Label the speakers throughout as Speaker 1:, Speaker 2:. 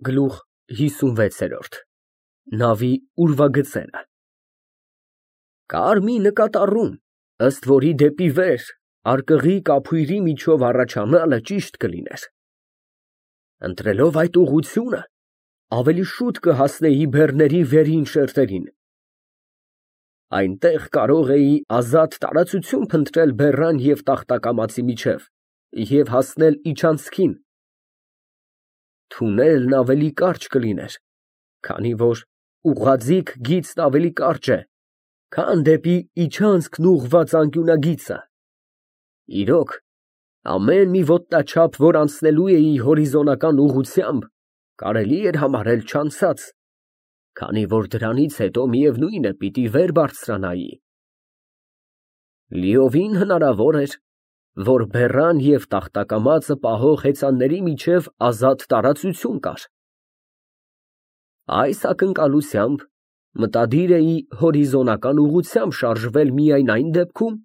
Speaker 1: Գլուխ 56 Նավի ուրվագծերը Կար մի նկատառում, ըստ որի դեպի վերարկղի կափույրի միջով առաջանալը ճիշտ կլիներ։ Ընտրելով այդ ուղղությունը, ավելի շուտ կհասնեի բեռների վերին շերտերին։ Այնտեղ կարող էի ազատ տարածություն փնտրել բեռան և տախտակամածի միջև և հասնել իջանցքին։ Թունելն ավելի կարճ կլիներ, քանի որ ուղղաձիգ գիծն ավելի կարճ է, քան դեպի իջանցքն ուղղված անկյունագիծը։ Իրոք, ամեն մի ոտնաչափ, որ անցնելու էի հորիզոնական ուղղությամբ, կարելի էր համարել չանցած, քանի որ դրանից հետո միևնույն է պիտի վեր բարձրանայի։ Լիովին հնարավոր էր, որ բեռան և տախտակամածը պահող հեծանների միջև ազատ տարածություն կար։ Այս ակնկալությամբ մտադիր էի հորիզոնական ուղղությամբ շարժվել միայն այն դեպքում,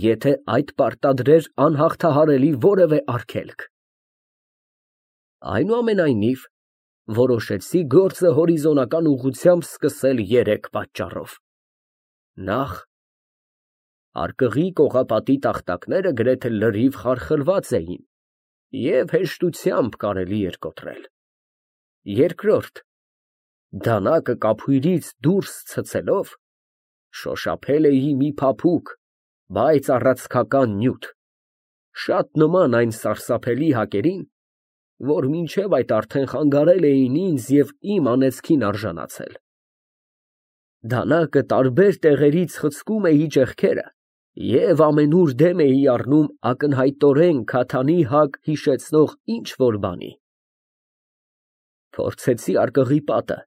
Speaker 1: եթե այդ պարտադրեր անհաղթահարելի որևէ արգելք։ Այնուամենայնիվ, որոշեցի գործը հորիզոնական ուղղությամբ սկսել երեք պատճառով. Նախ,արկղի կողապատի տախտակները գրեթե լրիվ խարխլված էին և հեշտությամբ կարելի էր կոտրել։ Երկրորդ, դանակը կափույրից դուրս ցցելով, շոշափել էի մի փափուկ, բայց առացքական նյութ, շատ նման այն սարսափելի հակերին, որ մինչև այդ արդեն խանգարել էին ինձ և իմ անեծքին արժանացել։ Դանակը տարբեր տեղերից խցկում էի ճեղքերը և ամենուր դեմ էի առնում ակնհայտորեն քաթանի հակ հիշեցնող ինչ֊որ բանի։ Փորձեցիարկղի պատը,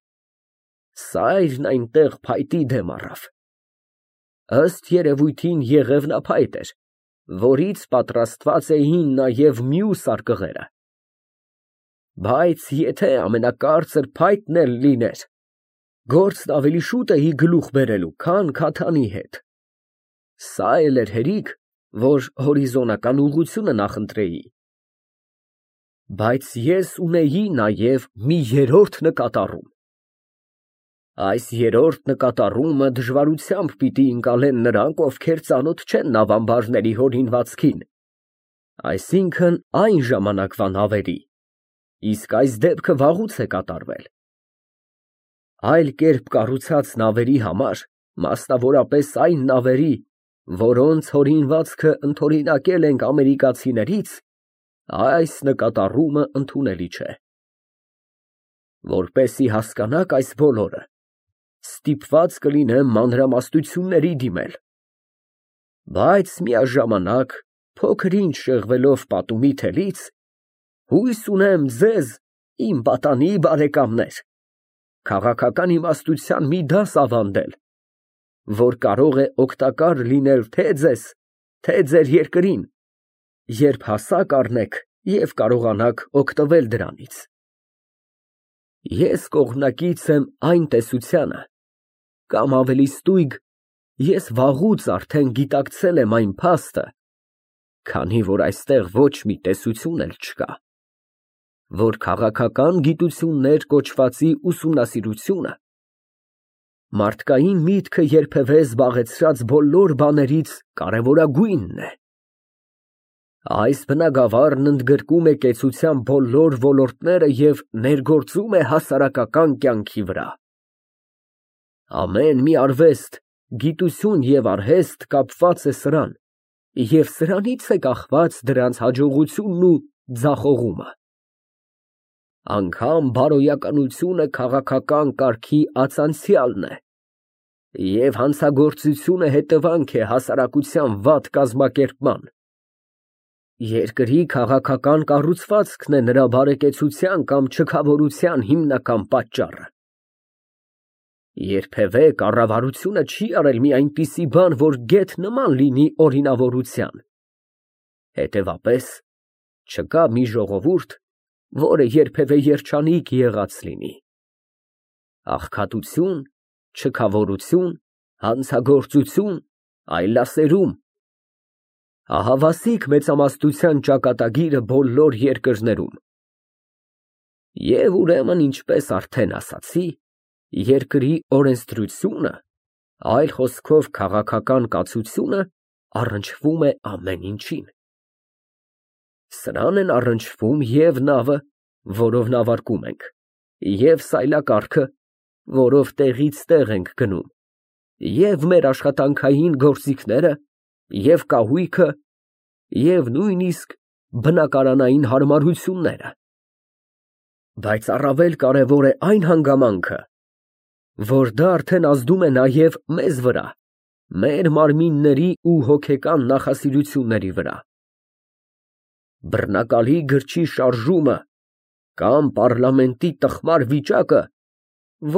Speaker 1: սայրն այնտեղ փայտի դեմ առավ։ Ըստ երևույթին եղևնափայտ էր, որից պատրաստված էին նաև մյուսարկղերը։ Բայց եթե ամենակարծր փայտն էլ լիներ, գործն ավելի շուտ էի գլուխ բերելու, քան քաթանի հետ։ Սա էլ էր հերիք, որ հորիզոնական ուղղությունը նախընտրեի։ Բայց ես ունեի նաև մի երրորդ նկատառում։ Այս երրորդ նկատառումը դժվարությամբ պիտի ընկալեն նրանք, ովքեր ծանոթ չեն նավամբարների հորինվածքին, այսինքն այն ժամանակվա նավերի, իսկ այս դեպքը վաղուց է կատարվել։ Այլ կերպ կառուցած նավերի համար, մասնավորապես այն նավերի, որոնց հորինվածքը ընդօրինակել ենք ամերիկացիներից, այս նկատառումը ընդունելի չէ։ Որպեսզի հասկանաք այս բոլորը, ստիպված կլինեմ մանրամասնությունների դիմել, բայց միաժամանակ, փոքր-ինչ շեղվելով պատումի թելից, հույս ունեմ ձեզ, իմ պատանի բարեկամներ, քաղաքական իմաստության մի դաս ավանդել, որ կարող է օգտակար լինել թե ձեզ, թե ձեր երկրին, երբ հասակ առնեք և կարողանաք օգտվել դրանից։ Ես կողմնակից եմ այն տեսությանը, կամ ավելի ստույգ, ես վաղուց արդեն գիտակցել եմ այն փաստը, քանի որ այստեղ ոչ մի տեսություն էլ չկա, որ քաղաքական գիտություններ կոչվածի ուսումնասիրությունը մարդկային միտքը երբևէ զբաղեցրած բոլոր բաներից կարևորագույնն է։ Այս բնագավառն ընդգրկում է կեցության բոլոր ոլորտները և ներգործում է հասարակական կյանքի վրա։ Ամեն մի արվեստ, գիտություն և արհեստ կապված է սրան, և սրանից է կախված դրանց հաջողությունն ու ձախողումը։ Անգամ բարոյականությունը քաղաքական կարգի ացանցյալն է, և հանցագործությունը հետևանք է հասարակության վատ կազմակերպման։ Երկրի քաղաքական կառուցվածքն է նրա բարեկեցության կամ չքավորության հիմնական պատճառը։ Երբևէ կառավարությունը չի արել մի այնպիսի բան, որ գեթ նման լինի օրինավորության։ Հետևաբար, չկա մի ժողովուրդ, որը երբևէ երջանիկ եղած լինի։ Աղքատություն, չքավորություն, հանցագործություն, այլասերում, ահավասիկ մեծամասնության ճակատագիրը բոլոր երկրներում։ Եվ ուրեմն, ինչպես արդեն ասացի, երկրի օրենսդրությունը, այլ խոսքով քաղաքական կացությունը առնչվում է ամեն ինչին։ Սրան են առնչվում և նավը, որով նավարկում ենք, և սայլակառքը, որով տեղից տեղ ենք գնում, և մեր աշխատանքային գործիքները, և կահույքը, և նույնիսկ բնակարանային հարմարությունները։ Բայց առավել կարևոր է այն հանգամանքը, որ դա արդեն ազդում է նաև մեզ վրա, մեր մարմինների ու հոգեկան նախասիրությունների վրա։ Բռնակալի գրչի շարժումը կամ պառլամենտի տխմար վիճակը,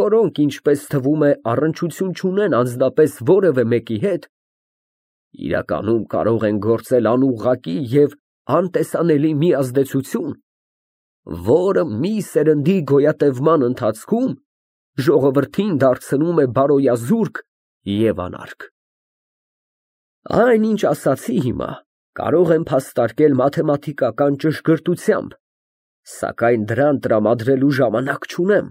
Speaker 1: որոնք, ինչպես թվում է, առնչություն չունեն անձնապես որևէ մեկի հետ, իրականում կարող են գործել անուղղակի և անտեսանելի մի ազդեցություն, որը մի սերնդի գոյատևման ընթացքում ժողովրդին դարձնում է բարոյազուրկ և անարգ։ Այն, ինչ ասացի հիմա, կարող եմ փաստարկել մաթեմատիկական ճշգրտությամբ, սակայն դրան տրամադրելու ժամանակ չունեմ։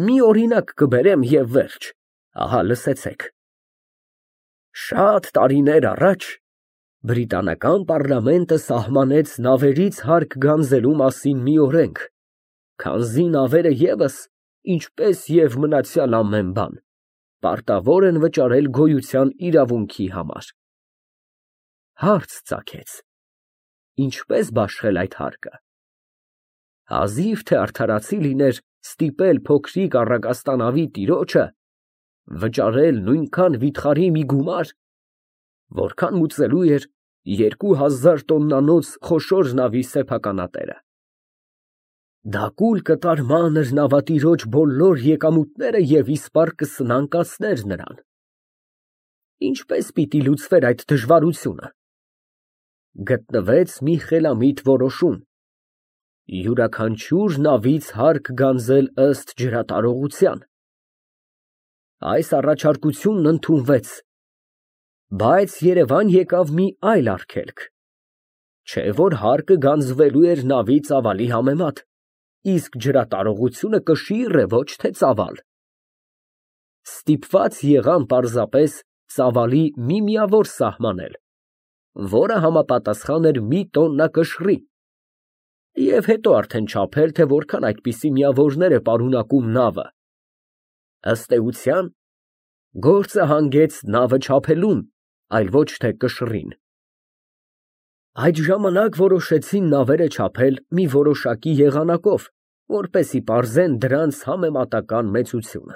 Speaker 1: Մի օրինակ կբերեմ և վերջ, ահա լսեցեք։ Շատ տարիներ առաջ բրիտանական պառլամենտը սահմանեց նավերից հարկ գանձելու մասին մի օրենք, քանզի նավերը ևս, ինչպես և մնացյալ ամեն բան, պարտավոր են վճարել գոյության իրավունքի համար։ Հարց ծագեց. ինչպես բաշխել այդ հարկը։ Հազիվ թե արդարացի լիներ ստիպել փոքրիկ առագաստանավի տիրոջը վճարել նույնքան վիթխարի մի գումար, որքան մուծելու էր 2000 տոննանոց խոշոր նավի սեփականատերը։ Դա կուլ կտար մանր նավատիրոջ բոլոր եկամուտները և իսպառ կսնանկացներ նրան։ Ինչպես պիտի լուծվեր այդ դժվարությունը։ Գտնվեց մի խելամիտ որոշում. յուրաքանչյուր նավից հարկ գանձել ըստ ջրատարողության։ Այս առաջարկությունն ընդունվեց, բայց Երևան եկավ մի այլ արգելք, չէ որ հարկը գանձվելու էր նավի ծավալի համեմատ, իսկ ջրատարողությունը կշիռ է, ոչ թե ծավալ։ Ստիպված եղան պարզապես ծավալի մի միավոր սահմանել, որը համապատասխան էր մի տոննա կշռի, և հետո արդեն չափել, թե որքան այդպիսի միավորներ է պարունակում նավը։ Ըստ էության, գործը հանգեց նավը չափելուն, այլ ոչ թե կշռին։ Այդ ժամանակ որոշեցին նավերը չափել մի որոշակի եղանակով, որպեսզի պարզեն դրանց համեմատական մեծությունը։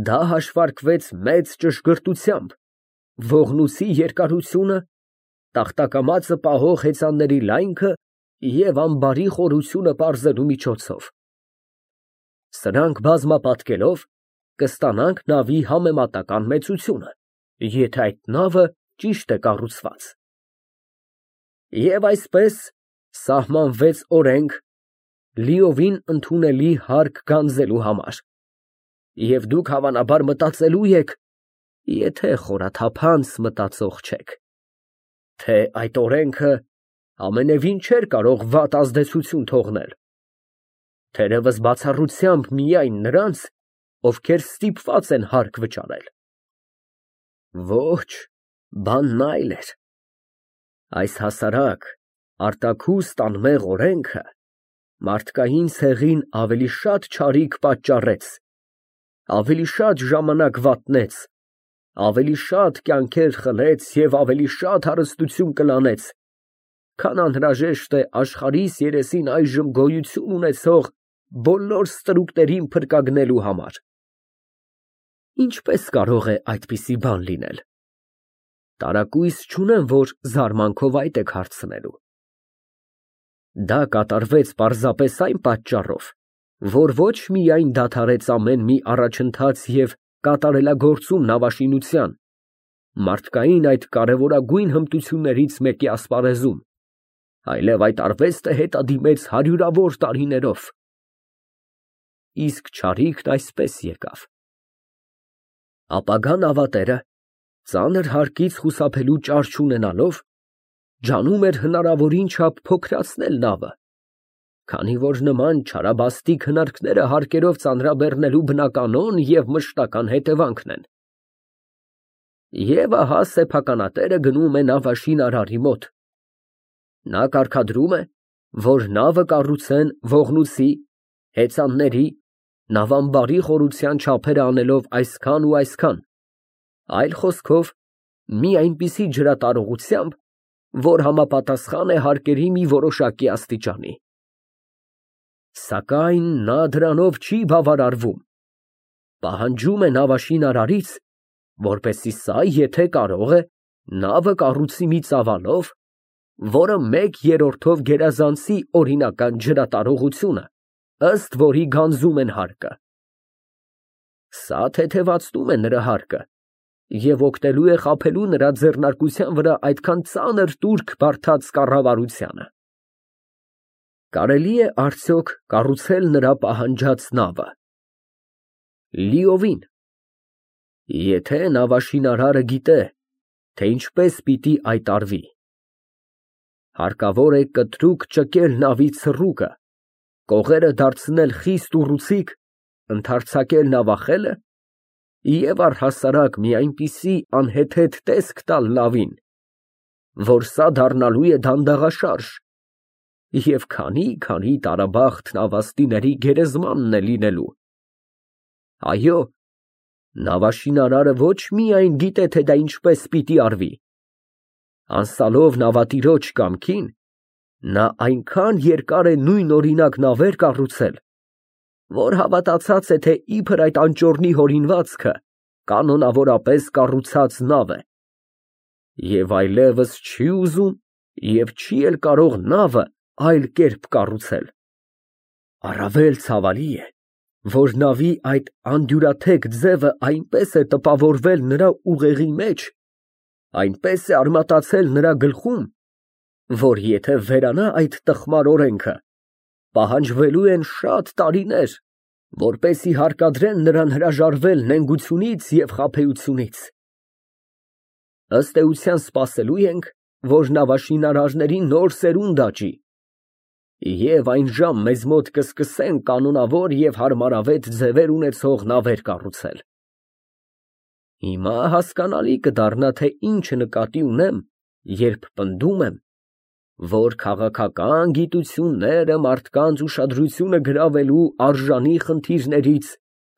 Speaker 1: Դա հաշվարկվեց մեծ ճշգրտությամբ, ողնույթի երկարությունը, տախտակամածը պահող հեծանների լայնքը և ամբարի խորությունը պարզելու միջոցով։ Սրանք բազմապատկելով կստանանք նավի համեմատական մեծությունը, եթե այդ նավը ճիշտ է կառուցված։ Եվ այսպես սահմանվեց օրենք լիովին ընդունելի հարկ գանձելու համար։ Եվ դուք հավանաբար մտածելու եք, եթե խորաթափանց մտածող չեք, թե այդ օրենքը ամենևին չէր կարող վատ ազդեցություն թողնել, թերևս բացառությամբ միայն նրանց, ովքեր ստիպված են հարկ վճարել։ Ոչ, բանն այլ էր։ Այս հասարակ, արտաքուստ անմեղ օրենքը մարդկային ցեղին ավելի շատ չարիք պատճառեց, ավելի շատ ժամանակ վատնեց, ավելի շատ կյանքեր խլեց և ավելի շատ հարստություն կլանեց, քան անհրաժեշտ է աշխարհիս երեսին այժմ գոյություն ունեցող բոլոր ստրուկներին փրկագնելու համար։ Ինչպես կարող է այդպիսի բան լինել։ Տարակույս չունեմ, որ զարմանքով այդ եք հարցնելու։ Դա կատարվեց պարզապես այն պատճառով, որ ոչ միայն դադարեց ամեն մի առաջընթաց և կատարելագործում նավաշինության, մարդկային այդ կարևորագույն հմտություններից մեկի ասպարեզում, այլև այդ արվեստը հետադիմեց հարյուրավոր տարիներով։ Իսկ չարիքն այսպես եկավ. ապագա նավատերը, ծանր հարկից խուսափելու ճար չունենալով, ջանում էր հնարավորին չափ փոքրացնել նավը, Քանի որ նման չարաբաստիկ հնարքները հարկերով ծանրաբեռնելու բնականon և մշտական հետևանքն են։ Եվ ահա սեփականատերը գնում է նավաշին արարի մոտ։ Նա կարգադրում է, որ նավը կառուցեն ողնույցի, հեծանների, նավամբարի խորության չափերը անելով այսքան ու այսքան, այլ խոսքով, մի այնպիսի ջրատարողությամբ, որ համապատասխան է հարկերի մի որոշակի աստիճանի։ Սակայն նա դրանով չի բավարարվում, պահանջում է նավաշին արարից, որպեսզի սա, եթե կարող է, նավը կառուցի մի ծավալով, որը 1/3-ով գերազանցի օրինական ջրատարողությունը, ըստ որի գանձում են հարկը։ Սա թեթևացնում է նրա հարկը և օգնելու է խաբելու նրա ձեռնարկության վրա այդքան ծանր տուրք բարդած կառավարությանը։ Կարելի է արդյոք կառուցել նրա պահանջած նավը։ Լիովին։ Եթե նավաշինարարը գիտե, թե ինչպես պիտի այդ արվի։ Հարկավոր է կտրուկ ճկել նավի ցռուկը, կողերը դարձնել խիստ ուռուցիկ, ընդարձակել նավախելը և առհասարակ մի այնպիսի անհեթեթ տեսք տալ նավին, որ սա դառնալու է դանդաղաշարժ և քանի տարաբախտ նավաստիների գերեզմանն է լինելու։ Այո, նավաշինարարը ոչ միայն գիտե, թե դա ինչպես պիտի արվի, անսալով նավատիրոջ կամքին, նա այնքան երկար է նույնօրինակ նավեր կառուցել, որ havատացած է, թե իբր այդ անճոռնի հորինվածքը կանոնավորապես կառուցած նավ է, և այլևս չի ուզում և չի էլ կարող նավը այլ կերպ կառուցել։ Առավել ցավալի է, որ նավի այդ անդյուրաթեք ձևը այնպես է տպավորվել նրա ուղեղի մեջ, այնպես է արմատացել նրա գլխում, որ եթե վերանա այդ տխմար օրենքը, պահանջվելու են շատ տարիներ, որպեսզի հարկադրեն նրան հրաժարվել նենգությունից և խաբեությունից։ Ըստ էության սպասելու ենք, որ նավաշինարարների նոր սերունդ աճի, և այն ժամ մեզ մոտ կսկսեն կանոնավոր և հարմարավետ ձևեր ունեցող նավեր կառուցել։ Հիմա հասկանալի կդառնա, թե ինչ նկատի ունեմ, երբ պնդում եմ, որ քաղաքական գիտությունները մարդկանց ուշադրությունը գրավելու արժանի խնդիրներից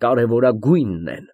Speaker 1: կարևորագույնն են։